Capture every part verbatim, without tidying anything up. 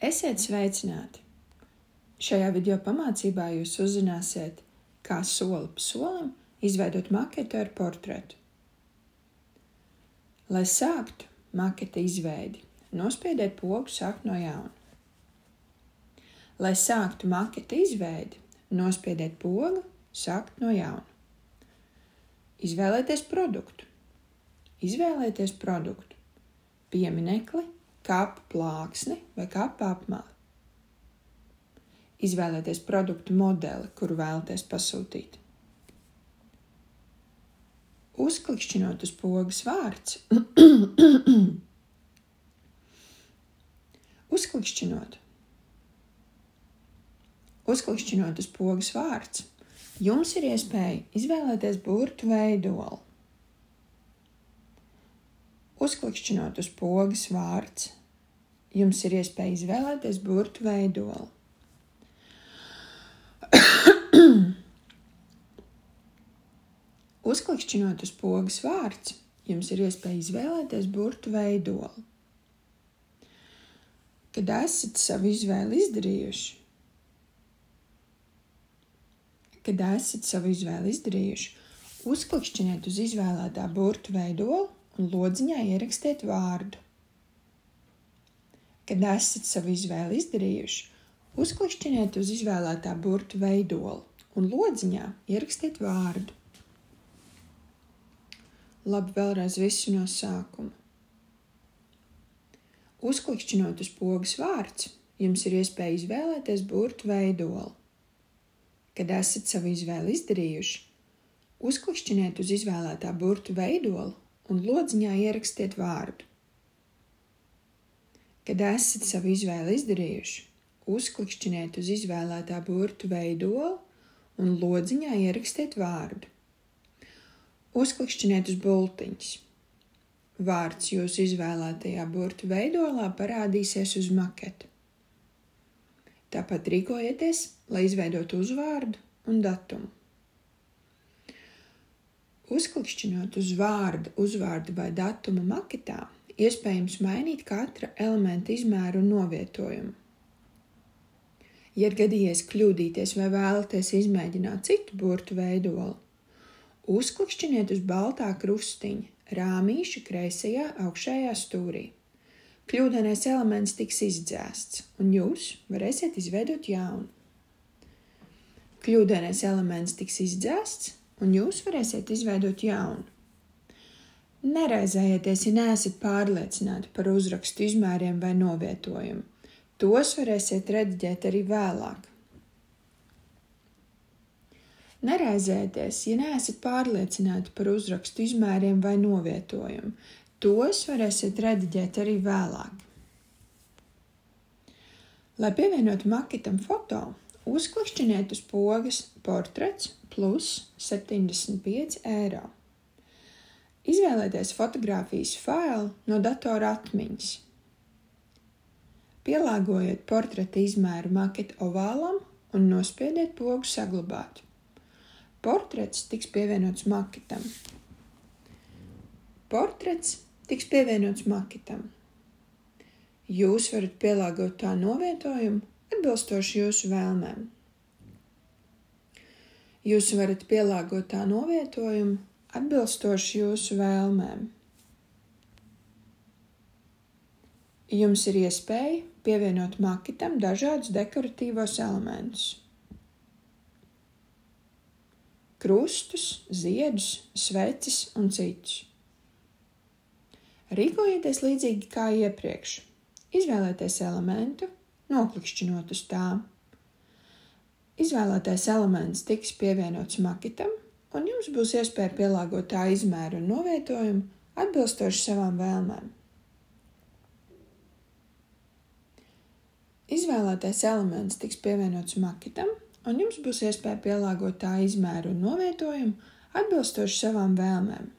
Esiet sveicināti! Šajā video pamācībā jūs uzzināsiet, kā soli pa solim izveidot maketu ar portretu. Lai sāktu maketa izveidi, nospiediet pogu sākt no jauna. Lai sāktu maketa izveidi, nospiediet pogu sākt no jauna. Izvēlēties produktu. Izvēlēties produktu. Pieminekli, kapu plāksni vai kapu apmali. Izvēlēties produktu modeli, kuru vēlaties pasūtīt. Uzklikšķinot uz pogas vārds. Uzklikšķinot. Uzklikšķinot uz pogas vārds, jums ir iespēja izvēlēties burtu veidolu. Uzklikšķinot uz pogas vārds, jums ir iespēja izvēlēties burtu veidolu. Uzklikšķinot uz pogas vārds, jums ir iespēja izvēlēties burtu veidolu. Kad esat savu izvēli izdarījuši, kad esat savu izvēli izdarījuši, uzklikšķiniet uz izvēlētā burtu veidolu un lodziņā ierakstiet vārdu. Kad esat savu izvēli izdarījuši, uzklikšķiniet uz izvēlētā burtu veidolu un lodziņā ierakstiet vārdu. Labi, vēlreiz visu no sākuma. Uzklikšķinot uz pogas vārds, jums ir iespēja izvēlēties burtu veidolu. Kad esat savu izvēli izdarījuši, uzklikšķiniet uz izvēlētā burtu veidolu un lodziņā ierakstiet vārdu. Kad esat savu izvēli izdarījuši, uzklikšķiniet uz izvēlētā burtu veidolu un lodziņā ierakstiet vārdu. Uzklikšķiniet uz bultiņas. Vārds jūsu izvēlētajā burtu veidolā parādīsies uz maketu. Tāpat rīkojieties, lai izveidotu uzvārdu un datumu. Uzklikšķinot uz vārdu, uzvārdu vai datumu maketā, iespējams mainīt katra elementa izmēru un novietojumu. Ja ir gadījies kļūdīties vai vēlaties izmēģināt citu burtu veidolu, uzklikšķiniet uz baltā krustiņa rāmīša kreisajā augšējā stūrī. Kļūdainais elements tiks izdzēsts, un jūs varēsiet izveidot jaunu. Kļūdainais elements tiks izdzēsts, un jūs varēsiet izveidot jaunu. Neraizējieties, ja neesat pārliecināti par uzrakstu izmēriem vai novietojumu. Tos varēsiet rediģēt arī vēlāk. Neraizējieties, ja neesat pārliecināti par uzrakstu izmēriem vai novietojumu. Tos varēsiet rediģēt arī vēlāk. Lai pievienotu maketam foto, uzklikšķiniet uz pogas portrets plus septiņdesmit pieci eiro. Izvēlēties fotogrāfijas failu no datora atmiņas. Pielāgojiet portreta izmēru maketa ovālam un nospiediet pogu saglabāt. Portrets tiks pievienots maketam. Portrets tiks pievienots maketam. Jūs varat pielāgot tā novietojumu atbilstoši jūsu vēlmēm. Jūs varat pielāgot tā novietojumu atbilstoši jūsu vēlmēm. Jums ir iespēja pievienot maketam dažādus dekoratīvos elementus. Krustus, ziedus, sveces un citus. Rīkojieties līdzīgi kā iepriekš. Izvēlēties elementu, noklikšķinot uz tām. Izvēlētais elements tiks pievienots maketam, un jums būs iespēja pielāgot tā izmēru un novietojumu atbilstoši savām vēlmēm. Izvēlētais elements tiks pievienots maketam, un jums būs iespēja pielāgot tā izmēru un novietojumu atbilstoši savām vēlmēm.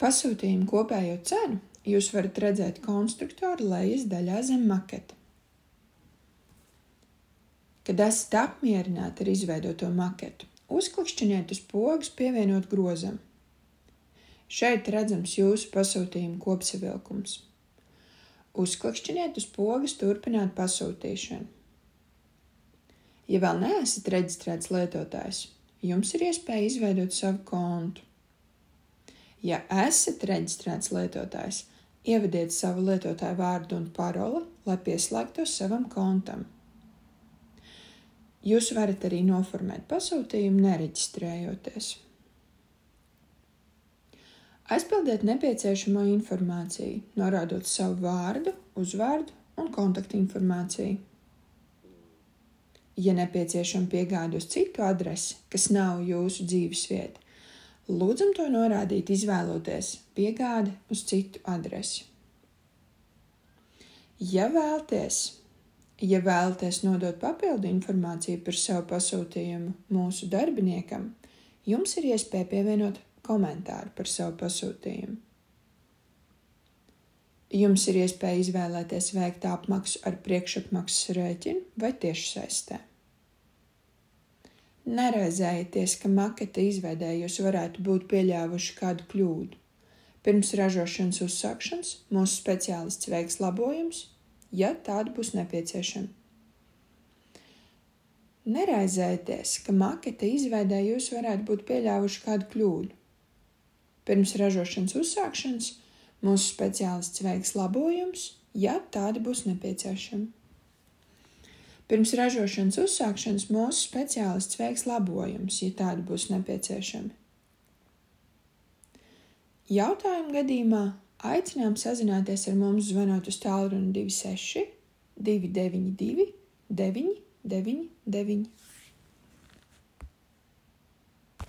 Pasūtījumu kopējo cenu jūs varat redzēt konstruktora lejas daļā zem maketa. Kad esat apmierināti ar izveidoto maketu, uzklikšķiniet uz pogas pievienot grozam. Šeit redzams jūsu pasūtījuma kopsavilkums. Uzklikšķiniet uz pogas turpināt pasūtīšanu. Ja vēl neesat reģistrēts lietotājs, jums ir iespēja izveidot savu kontu. Ja esat reģistrēts lietotājs, ievadiet savu lietotāju vārdu un paroli, lai pieslēgtos savam kontam. Jūs varat arī noformēt pasūtījumu, nereģistrējoties. Aizpildiet nepieciešamo informāciju, norādot savu vārdu, uzvārdu un kontaktinformāciju. Ja nepieciešama piegāde uz citu adresi, kas nav jūsu dzīvesvieta, lūdzam to norādīt, izvēloties piegādi uz citu adresi. Ja vēlties, ja vēlaties nodot papildu informāciju par savu pasūtījumu mūsu darbiniekam, jums ir iespēja pievienot komentāru par savu pasūtījumu. Jums ir iespēja izvēlēties veikt apmaksu ar priekšapmaksas rēķinu vai tiešsaistē. Neraizējieties, ka maketa izveidē jūs varētu būt pieļāvuši kādu kļūdu. Pirms ražošanas uzsākšanas mūsu speciālists veiks labojumus, ja tādi būs nepieciešami. Neraizējieties, ka maketa izveidē jūs varētu būt pieļāvuši kādu kļūdu. Pirms ražošanas uzsākšanas mūsu speciālists veiks labojumus, ja tādi būs nepieciešami. Pirms ražošanas uzsākšanas mūsu speciālists veiks labojumus, ja tādi būs nepieciešami. Jautājumu gadījumā aicinām sazināties ar mums zvanot uz tālruni divi seši divi deviņi divi deviņi deviņi deviņi.